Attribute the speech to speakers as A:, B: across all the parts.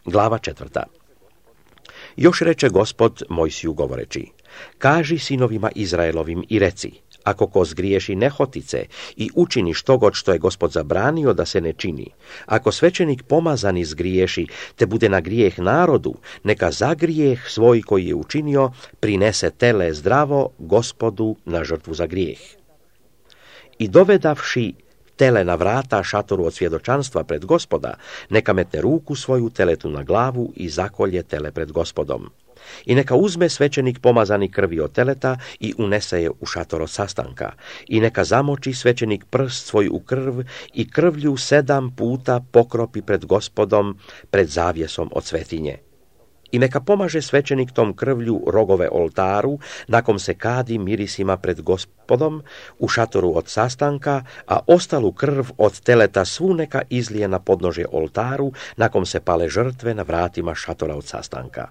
A: Glava 4. Još reče Gospod Mojsiju govoreći: kaži sinovima Izraelovim i reci: ako ko zgriješi nehotice i učini štogod što je Gospod zabranio da se ne čini, ako svećenik pomazani zgriješi te bude na grijeh narodu, neka za grijeh svoj koji je učinio prinese tele zdravo Gospodu na žrtvu za grijeh. I dovedavši tele na vrata šatoru od svjedočanstva pred Gospoda, neka metne ruku svoju teletu na glavu i zakolje tele pred Gospodom. I neka uzme svećenik pomazani krvi od teleta i unese je u šator od sastanka. I neka zamoči svećenik prst svoj u krv i krvlju 7 puta pokropi pred Gospodom, pred zavjesom od svetinje. I neka pomaže svećenik tom krvlju rogove oltaru, nakom se kadi mirisima pred Gospodom u šatoru od sastanka, a ostalu krv od teleta svu neka izlije na podnožje oltaru, nakom se pale žrtve na vratima šatora od sastanka.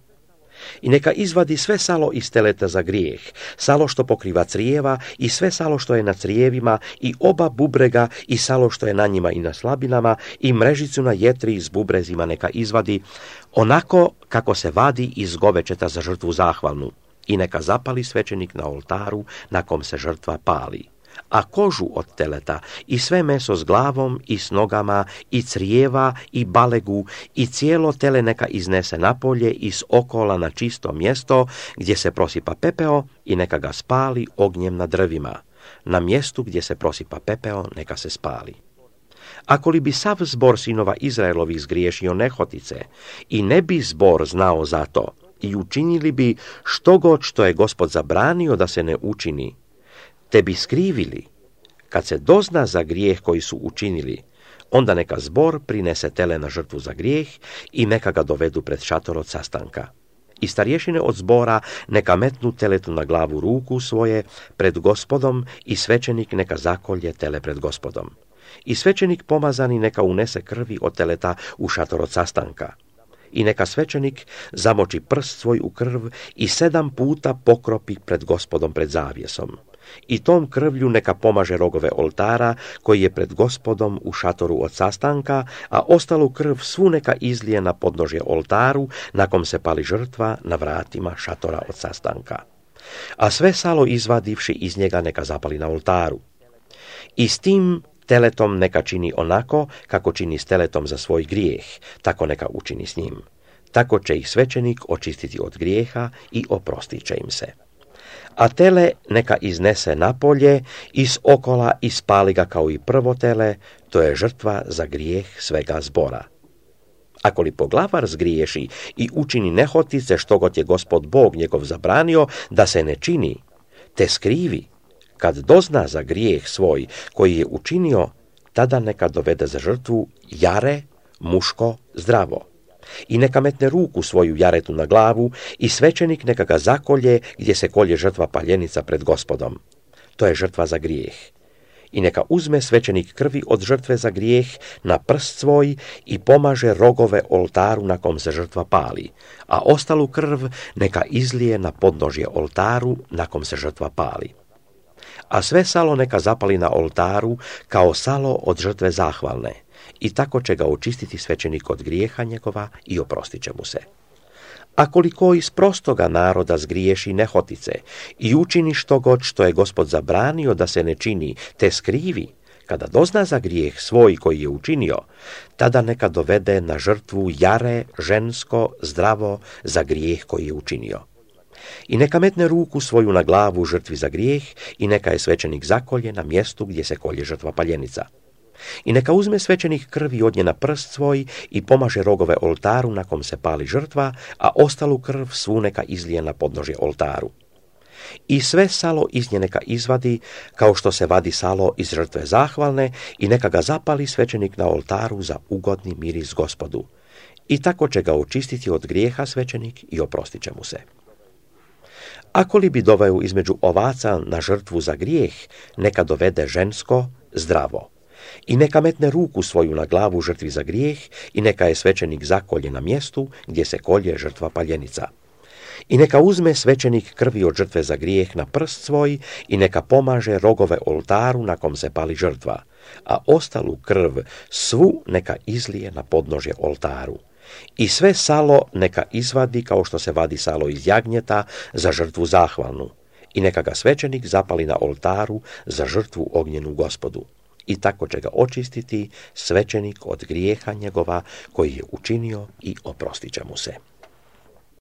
A: I neka izvadi sve salo iz teleta za grijeh, salo što pokriva crijeva i sve salo što je na crijevima i oba bubrega i salo što je na njima i na slabinama i mrežicu na jetri s bubrezima neka izvadi, onako kako se vadi iz govečeta za žrtvu zahvalnu. I neka zapali svećenik na oltaru na kom se žrtva pali. A kožu od teleta i sve meso s glavom i s nogama i crijeva i balegu i cijelo tele neka iznese napolje i s okola na čisto mjesto gdje se prosipa pepeo i neka ga spali ognjem na drvima. Na mjestu gdje se prosipa pepeo neka se spali. Ako li bi sav zbor sinova Izraelovih zgriješio nehotice i ne bi zbor znao za to i učinili bi štogod što je Gospod zabranio da se ne učini, te bi skrivili, kad se dozna za grijeh koji su učinili, onda neka zbor prinese tele na žrtvu za grijeh i neka ga dovedu pred šator od sastanka. I starješine od zbora neka metnu teletu na glavu ruku svoje pred Gospodom i svećenik neka zakolje tele pred Gospodom. I svećenik pomazani neka unese krvi od teleta u šator od sastanka. I neka svećenik zamoči prst svoj u krv i 7 puta pokropi pred Gospodom pred zavjesom. I tom krvlju neka pomaže rogove oltara koji je pred Gospodom u šatoru od sastanka, a ostalu krv svu neka izlije na podnožje oltaru na kom se pali žrtva na vratima šatora od sastanka. A sve salo izvadivši iz njega neka zapali na oltaru. I s tim teletom neka čini onako kako čini s teletom za svoj grijeh, tako neka učini s njim. Tako će ih svećenik očistiti od grijeha i oprostit će im se. A tele neka iznese napolje iz okola i spali ga kao i prvo tele, to je žrtva za grijeh svega zbora. Ako li poglavar zgriješi i učini nehotice štogod je Gospod Bog njegov zabranio da se ne čini, te skrivi, kad dozna za grijeh svoj koji je učinio, tada neka dovede za žrtvu jare, muško, zdravo. I neka metne ruku svoju jaretu na glavu i svećenik neka ga zakolje gdje se kolje žrtva paljenica pred Gospodom. To je žrtva za grijeh. I neka uzme svećenik krvi od žrtve za grijeh na prst svoj i pomaže rogove oltaru na kom se žrtva pali, a ostalu krv neka izlije na podnožje oltaru na kom se žrtva pali. A sve salo neka zapali na oltaru kao salo od žrtve zahvalne. I tako će ga očistiti svećenik od grijeha njegova i oprostit će mu se. A koliko iz prostoga naroda zgriješi nehotice i učini štogod što je Gospod zabranio da se ne čini, te skrivi, kada dozna za grijeh svoj koji je učinio, tada neka dovede na žrtvu jare, žensko, zdravo za grijeh koji je učinio. I neka metne ruku svoju na glavu žrtvi za grijeh i neka je svećenik zakolje na mjestu gdje se kolje žrtva paljenica. I neka uzme svećenik krvi od nje na prst svoj i pomaže rogove oltaru na kom se pali žrtva, a ostalu krv svu neka izlije na podnožje oltaru. I sve salo iz nje neka izvadi, kao što se vadi salo iz žrtve zahvalne, i neka ga zapali svećenik na oltaru za ugodni miris Gospodu. I tako će ga očistiti od grijeha svećenik i oprostit će mu se. Ako li bi doveo između ovaca na žrtvu za grijeh, neka dovede žensko, zdravo. I neka metne ruku svoju na glavu žrtvi za grijeh i neka je svećenik zakolje na mjestu gdje se kolje žrtva paljenica. I neka uzme svećenik krvi od žrtve za grijeh na prst svoj i neka pomaže rogove oltaru na kom se pali žrtva, a ostalu krv svu neka izlije na podnožje oltaru. I sve salo neka izvadi kao što se vadi salo iz jagnjeta za žrtvu zahvalnu. I neka ga svećenik zapali na oltaru za žrtvu ognjenu Gospodu. I tako će ga očistiti svećenik od grijeha njegova koji je učinio i oprostit će mu se.